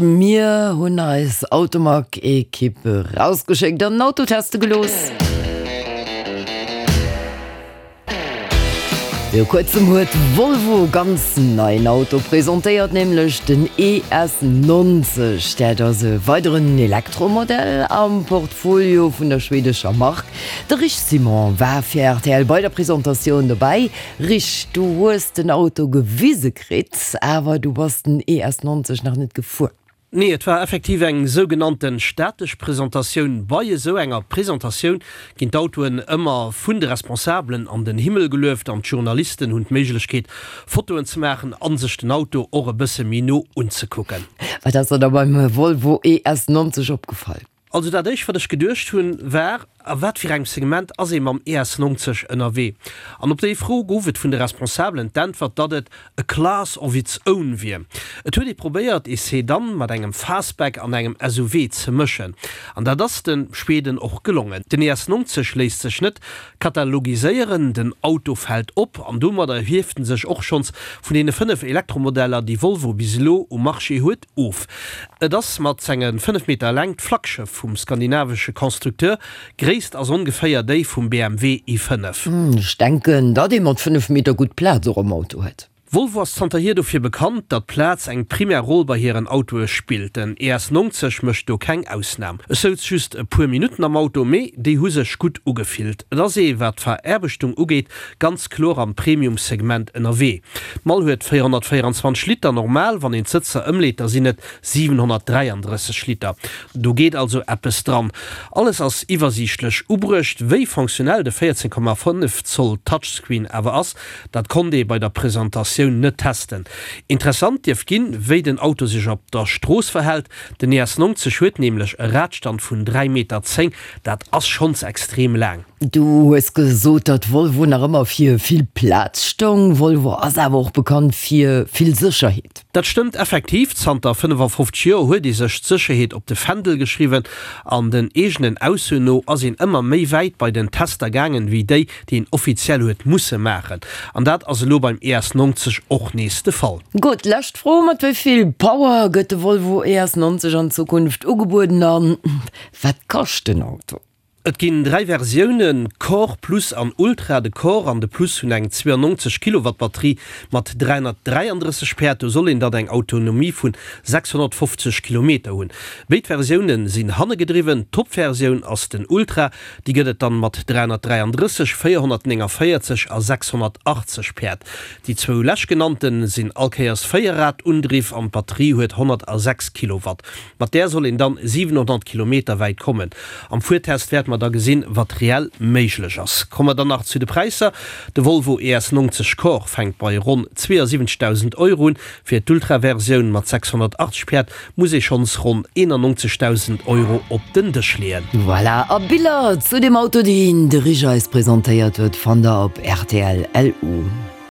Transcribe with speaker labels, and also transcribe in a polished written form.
Speaker 1: Mir hunn eis Automag-Ekipp rausgeschéckt an den Auto teste gelooss. Viru kuerzem huet Volvo ganz neien Auto presentéiert, nämlech den ES90. Dat ass e weideren Elektromodell am Portfolio vun der schwedescher Mark. De Rich Simon war fir rtl bei der Presentatioun dobäi. Rich, du hues den Auto gewise kritt, awer du bass den ES90 nach net gefuer.
Speaker 2: Nee, et war effektiv eng sougenannten statesch Presentatioun. Bei esou enger Presentatioun ginn d'Autoen ëmmer vun de Responsabelen an den Himmel gelueft an d'Journalisten hunn d'Méiglechkeet Fotoen ze maachen an sech den Auto och e bësse méi no unzekucken.
Speaker 1: Wat ass der da beim Volvo ES90 opgefall?
Speaker 2: Also dat éischt wat ech geduecht hunn war, a wat fir engem Segment ass ee mam ES90 ënnerwee? An op déi Fro gouf et vun de Responsabelen d'Äntwert, datt et a class of its own wier. Et huet ee probéiert ee Sedan mat engem Fastback an engem SUV ze mëschen. An dat ass de Schweden och gelongen. Den ES90 léisst sech net katalogiséieren, den Auto fält op an domadder hieft en sech och schonns vun deene 5 Elektromodeller déi Volvo bis elo um Marché huet. Of. Et ass mat senge 5 Meter Längt d'Flaggschëff vum skandinavesche Constructeur. Gréisst ass ongeféier déi vum BMW i5.
Speaker 1: Ech denken, datt ee mat 5 Meter gutt Plaz och am Auto huet.
Speaker 2: Volvo ass zanterhier dofir bekannt, datt Plaz eng primär Roll bei hiren Autoe spillt. Den ES90 mécht do keng Ausnam. Ech souz just e puer Minutten am Auto, mee déi hu sech gutt ugefillt. Et ass ee, wat d'Veraarbechtung ugeet, ganz kloer am Premium-Segment ënnerwee. D'Mall huet 424 Liter, normal, wann een d'Sëtzer ëmleet, da sinn et 733 Liter. Do geet also eppes dran. Alles ass iwwersiichtlech ubruecht. Wéi fonctionnel de 14,5 Zoll Touchscreen awer ass, dat konnt ee bei der Presentatioun net testen. Interessant dierft ginn, wéi den Auto sech op der Strooss verhält. Den ES90 huet nämlech e Radstand vun 3,10 Meter, dat ass schonns extrem laang.
Speaker 1: Du hues gesot, datt Volvo nach ëmmer fir vill Plaz stoung. Volvo ass awer och bekannt fir vill Sécherheet.
Speaker 2: Dat stëmmt effektiv. Zanter 55 Joer huet ee sech d'Sécherheet op de Fändel geschriwwen an den eegenen Aussoen no ass een ëmmer méi wäit bei den Tester gaangen, wéi déi, déi een offiziell huet musse maachen. An dat ass elo beim ES90 och nees de Fall.
Speaker 1: Gutt, lescht Fro, Mat wéi vill Power gëtt de Volvo ES90 an Zukunft ugebueden a wat kascht den Auto?
Speaker 2: Et ginn 3 Versiounen, Core, Plus an Ultra. De Core an de Plus hunn eng 92 Kilowatt Batterie mat 333 Päerd. Do soll een dann eng Autonomie vun 650 Kilometer hunn. Béid Versioune sinn hannegedriwwen. D'Top-Versioun ass den Ultra, déi gëtt et dann mat 333, 449 a 680 Päerd. Déi zwou leschtgenannte sinn allkéiers Véierrad-Undriff an d'Batterie huet 106 Kilowatt. Mat där soll een dann 700 Kilometer wäit kommen. Am Fuertest wäerte mer da gesinn, wat reell méiglech ass. Komme mer dann nach zu de Präisser, De Volvo ES90 Core fänkt bei ronn 72.000 Euro un. Fir d'Ultra-Versioun mat 680 Päerd muss ee schonns ronn 91.000 Euro op den Dësch leeën.
Speaker 1: Voilà, a Biller zu dem Auto, deen de Rich eis presentéiert huet, fannt der op rtl. LU.